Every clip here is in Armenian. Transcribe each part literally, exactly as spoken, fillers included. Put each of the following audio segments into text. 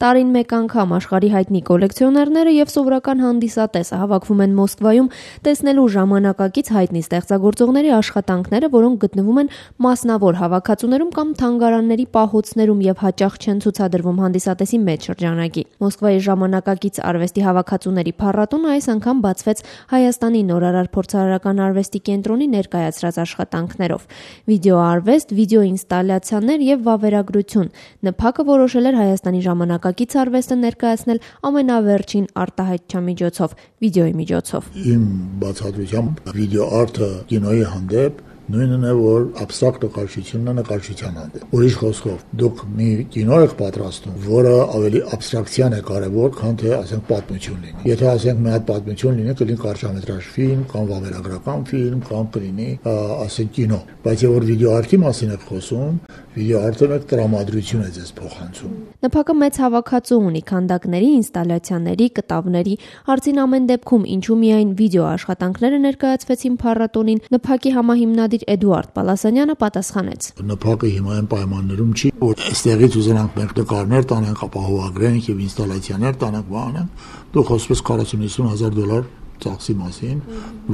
Տարին մեկ անգամ աշխարհի հայտնի կոլեկցիոներները եւ սովորական հանդիսատեսը հավաքվում են Մոսկվայում տեսնելու ժամանակակից հայտնի ստեղծագործողների աշխատանքները, որոնք գտնվում են մասնավոր հավաքածուներում կամ թանգարանների պահոցներում եւ հաճախ չեն ցուցադրվում հանդիսատեսի մեծ շրջանակի։ Մոսկվայի ժամանակակից արվեստի հավաքածուների փառատոնը այս անգամ բացվեց Հայաստանի նորարար փորձարարական արվեստի կենտրոնի ներկայացրած աշխատանքներով։ Վիդեոարվեստ, վիդեոինստալյացիաներ եւ վավերագրություն։ ՆՓԱԿ-ը որոշել էր Հայաստանի ժամանակակից արվեստը ներկայացնել ամենավերջին արտահայտչամիջոցով՝ վիդեոյի միջոցով։ Իմ բացատրությամբ վիդեոարտը կինոյի հանդեպ նույնն է, որ абստրակտ նկարչությունն է նկարչության հանդեպ։ Ուրիշ խոսքով, դուք մի կինո եք պատրաստում, որը ավելի абստրակցիան է կարևոր, քան թե ասենք պատմություն լինի։ Եթե ասենք մի հատ պատմություն լինի, կլինի կարճամետրաժ ֆիլմ կամ վավերագրական ֆիլմ կամ կլինի ասենք կինո։ Բայց եթե որ վիդեոարտի մասին եք խոսում, վիդեոարտը մեկ տրամադրություն է ձեզ փոխանցում։ ՆՓԱԿ-ը մեծ հավաքածու ունի քանդակների, ինստալյացիաների, կտավների։ Հարցին ամեն դեպքում ինչու միայն վիդեո աշխատանքները ներկայացվեցին փառատոնին, ՆՓԱԿ-ի համահիմնադիր Էդուարդ Պալասանյանը պատասխանեց. ՆՓԱԿ-ը հիմա այն պայմաններում չի, որ այստեղից ուզենանք մենք նկարներ տանենք, ապահովագրենք եւ ինստալյացիաներ տանենք, բանենք, դու խոսես քառասուն հազար դոլար ծախսի մասին,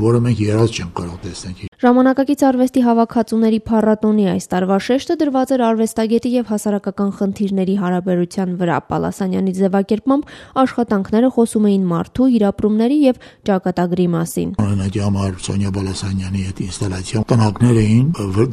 որը մենք երազ չենք կարող տեսնել։ Ժամանակակից արվեստի հավաքածուների փառատոնի այս տարվա շեշտը դրված էր արվեստագետի եւ հասարակական խնդիրների հարաբերության վրա։ Պալասանյանի ձևակերպմամբ աշխատանքները խոսում էին մարդու, իրապրումների եւ ճակատագրի մասին։ Օրինակի համար Սոնյա Պալասանյանի հետ ինստալյացիա տնակներ էին,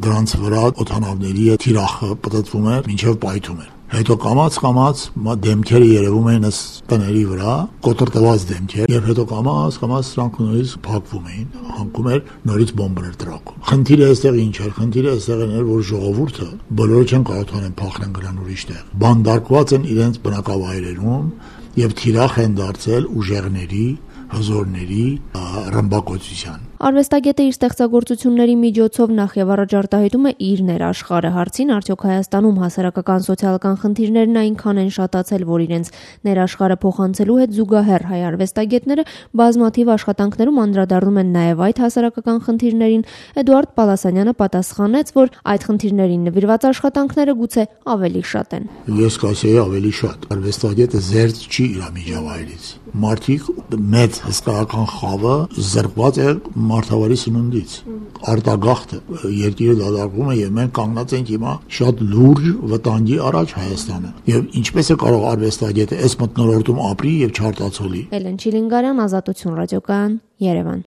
դրանց վրա օդանավների հետ թիրախը պատտվում էր, մինչեւ պայթում էր։ Հետո կամած կամած դեմքերը երևում էին ըստ տների վրա, կոտրտված դեմքեր, եւ հետո կամած կամած սրանք նորից փակվում էին, հանգում էր նորից բոմբեր տրակում։ Խնդիրը այստեղ ինչ էր, խնդիրը այստեղ էր, որ ժողովուրդը բոլորը չեն կարող անեն փախնեն գնան ուրիշ տեղ։ Բանդարկված են իրենց բնակավայրերում եւ թիրախ են դարձել ուժեղների, հզորների ռմբակոծության։ Արվեստագետը իր ստեղծագործությունների միջոցով նախ եւ առաջ արտահայտում է իր ներաշխարհը։ Հարցին արդյոք Հայաստանում հասարակական սոցիալական խնդիրներն այնքան են շատացել, որ իրենց ներաշխարհը փոխանցելու հետ զուգահեռ հայ արվեստագետները բազմաթիվ աշխատանքներում անդրադառնում են նաեւ այդ հասարակական խնդիրներին, Էդուարդ Պալասանյանը պատասխանեց, որ այդ խնդիրներին նվիրված աշխատանքները գուցե ավելի շատ են։ Ես կասեի ավելի շատ։ Արվեստագետը զերծ չի իր միջավայրից։ Մարդիկ մեծ հսկայական խավը զրկված է մարդավարի սնունդից, արտագաղթը, երկիրը դադարվում է եւ մենք կանգնած ենք հիմա շատ լուրջ վտանգի առաջ Հայաստանը։ Եվ ինչպես է կարող արվեստագետը այս մթնոլորտում ապրի եւ չարտացոլի։ Էլեն Չիլինգարյան, Ազատություն ռադիոկայան, Երևան։